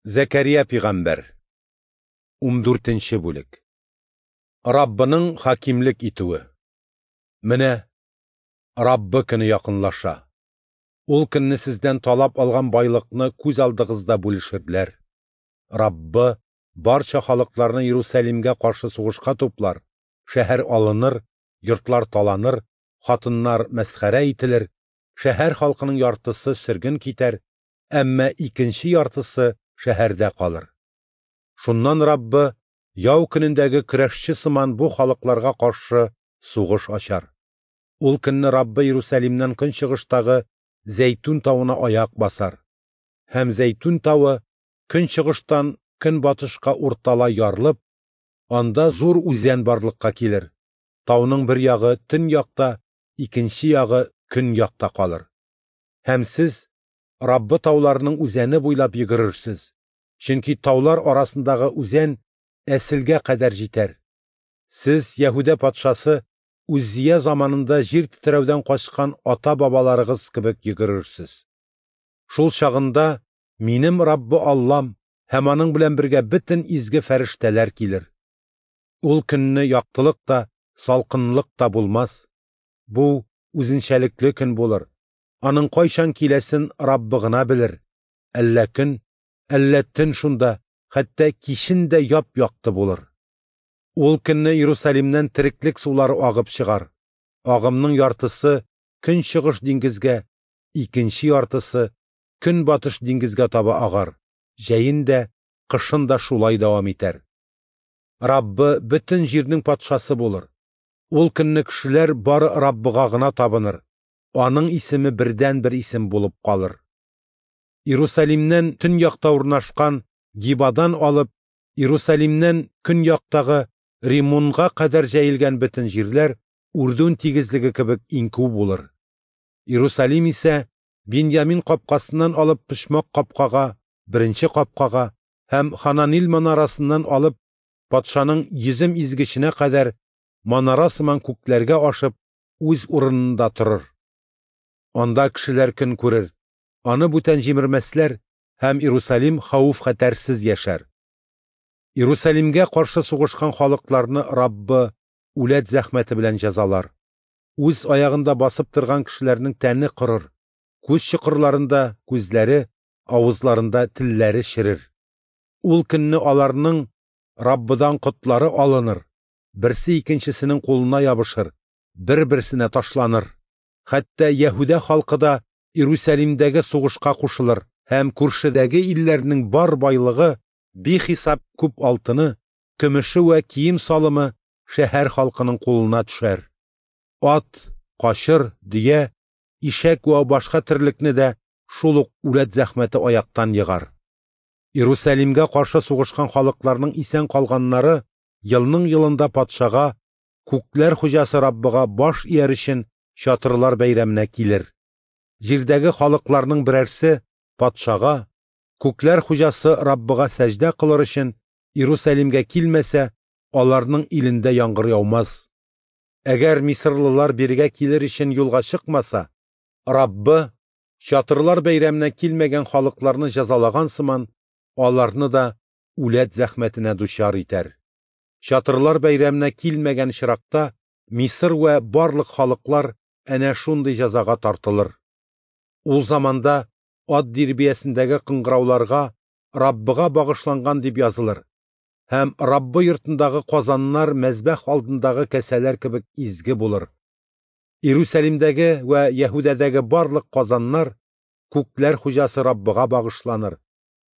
Зәкәрия пигамбәр. 14 бүлек. Раббының хакимлек итүе. Менә Раббы көне якынлаша. Ул көнне сездән талап алган байлыкны күз алдыгызда бүлешерләр. Раббы барча халыкларны Иерусалимгә каршы сугышка туплар, шәһәр алыныр, йортлар таланыр, хатыннар мәсхәрә ителер, шәһәр халкының яртысы сөрген китәр, әмма икенче яртысы шәһәрдә калыр. Шуннан Раббы яу көнендәге көрәшче сыман бу халыкларга каршы сугыш ачар. Ул көнне Раббы Иерусалимнән көнчыгыштагы Зәйтүн тавына аяк басар. Һәм Зәйтүн тавы көнчыгыштан көнбатышка урталай ярылып, анда зур үзән барлыкка килер. Тауның бер ягы төньякта, икенче ягы көньякта калыр. Һәм сез Раббы тауларының үзәне буйлап йөгерерсез, чөнки таулар арасындагы үзән Әселгә кадәр җитәр. Сез Яһүдә патшасы Үззия заманында җир тетрәүдән качкан ата-бабаларыгыз кебек йөгерерсез. Шул чагында минем Раббы Аллам һәм аның белән бергә бөтен изге фәрештәләр килер. Ул көнне яктылык та, салкынлык та булмас. Бу үзенчәлекле көн булыр. Аның кайчан киләсен Раббы гына белер. Әллә көн, әллә төн шунда, хәтта кичен дә яп-якты булыр. Ул көнне Иерусалимнән тереклек сулары агып чыгар. Агымның яртысы көнчыгыш диңгезгә, икенче яртысы көнбатыш диңгезгә таба агар. Җәен дә, кышын да шулай дәвам итәр. Раббы бөтен җирнең патшасы булыр. Ул көнне кешеләр бары Раббыга гына табыныр. Аның исеме бердән-бер исем булып калыр. Иерусалимнән төньякта урнашкан Гибадан алып, Иерусалимнән көньяктагы Римунга кадәр җәелгән бөтен җирләр Үрдүн тигезлеге кебек иңкү булыр. Иерусалим исә Биньямин капкасыннан алып почмак капкага, беренче капкага һәм Хананил манарасыннан алып патшаның йөзем изгеченә кадәр манара сыман күкләргә ашып үз урынында торыр. Анда кешеләр көн күрер, аны бүтән җимермәсләр һәм Иерусалим хәвеф-хәтәрсез яшәр. Иерусалимгә каршы сугышкан халыкларны Раббы үләт зәхмәте белән җәзалар. Үз аягында басып торган кешеләрнең тәне корыр, күз чокырларында күзләре, авызларында телләре черер. Ул көнне аларның Раббыдан котлары алыныр, берсе икенчесенең кулына ябышыр, бер-берсенә ташланыр. Хәтта Яһүдә халкы да Иерусалимдәге сугышка кушылыр һәм күршедәге илләрнең бар байлыгы, бихисап күп алтыны, көмеше вә кием салымы шәһәр халкының кулына төшәр. Ат, качыр, дөя, ишәк вә башка терлекне дә шул ук үләт зәхмәте аяктан егар. Иерусалимгә каршы сугышкан халыкларның исән калганнары елның елында патшага, күкләр хуҗасы Раббыга баш ияр өчен чатырлар бәйрәменә килер. Җирдәге халыкларның берәрсе патшага, күкләр хуҗасы Раббыга сәҗдә кылыр өчен Иерусалимгә килмәсә, аларның илендә яңгыр яумас. Әгәр мисырлылар бирегә килер өчен юлга чыкмаса, Раббы чатырлар бәйрәменә килмәгән халыкларны җәзалаган сыман, аларны да үләт зәхмәтенә дучар итәр. Чатырлар бәйрәменә килмәгән очракта Мисыр вә барлык халыклар әнә шундый җәзага тартылыр. Ул заманда ат дирбиясендәге кыңгырауларга Раббыга багышланган дип язылыр һәм Раббы йортындагы казаннар мәзбәх алдындагы кәсәләр кебек изге булыр. Иерусалимдәге вә Яһүдәдәге барлык казаннар күкләр хуҗасы Раббыга багышланыр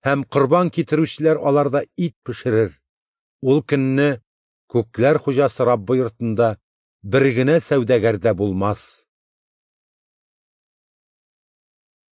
һәм корбан китерүчеләр аларда ит пешерер. Ул көнне күкләр хуҗасы Раббы йортында бер генә сәүдәгәр дә булмас.